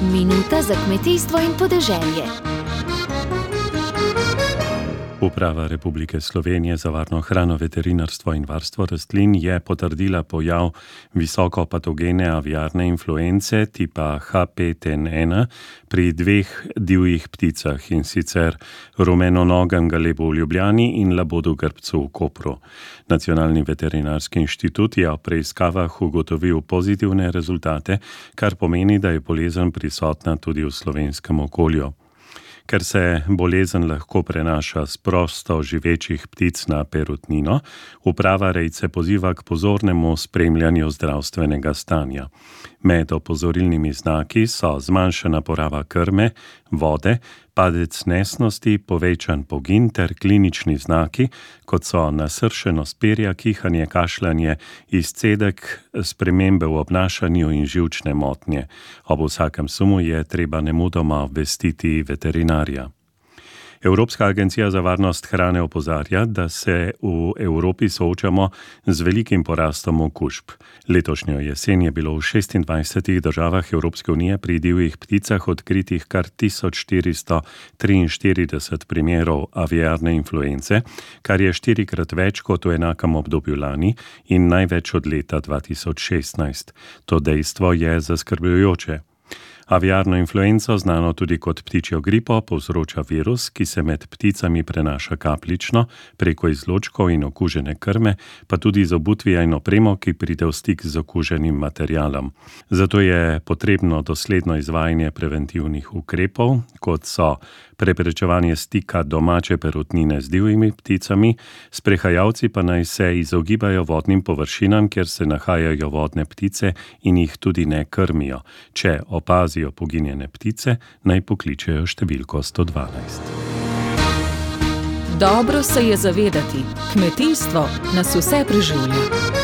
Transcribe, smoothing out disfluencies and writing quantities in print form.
Minuta za kmetijstvo in podeželje. Uprava Republike Slovenije za varno hrano, veterinarstvo in varstvo rastlin je potrdila pojav visokopatogene aviarne influence tipa H5N1 pri dveh divjih pticah, in sicer rumenonogem galebu v Ljubljani in labodu grbcu v Kopru. Nacionalni veterinarski inštitut je v preiskavah ugotovil pozitivne rezultate, kar pomeni, da je bolezen prisotna tudi v slovenskem okolju. Ker se bolezen lahko prenaša s prosto živečih ptic na perutnino, uprava rejce poziva k pozornemu spremljanju zdravstvenega stanja. Med opozorilnimi znaki so zmanjšana poraba krme, vode, padec nesnosti, povečan pogin ter klinični znaki, kot so nasršenost perja, kihanje, kašljanje, izcedek, spremembe v obnašanju in živčne motnje. Ob vsakem sumu je treba nemudoma obvestiti veterinarja. Evropska agencija za varnost hrane opozarja, da se v Evropi soočamo z velikim porastom okužb. Letošnjo jesen je bilo v 26 državah Evropske unije pri divjih pticah odkritih kar 1443 primerov aviarne influence, kar je 4-krat več kot v enakem obdobju lani in največ od leta 2016. To dejstvo je zaskrbljujoče. Aviarno influenco, znano tudi kot ptičjo gripo, povzroča virus, ki se med pticami prenaša kapljično, preko izločkov in okužene krme, pa tudi z obutvija in opremo, ki pride v stik z okuženim materialom. Zato je potrebno dosledno izvajanje preventivnih ukrepov, kot so preprečevanje stika domače perutnine z divjimi pticami, sprehajalci pa naj se izogibajo vodnim površinam, kjer se nahajajo vodne ptice, in jih tudi ne krmijo. Če opazijo poginjene ptice, naj pokličejo številko 112. Dobro se je zavedati, kmetijstvo nas vse preživlja.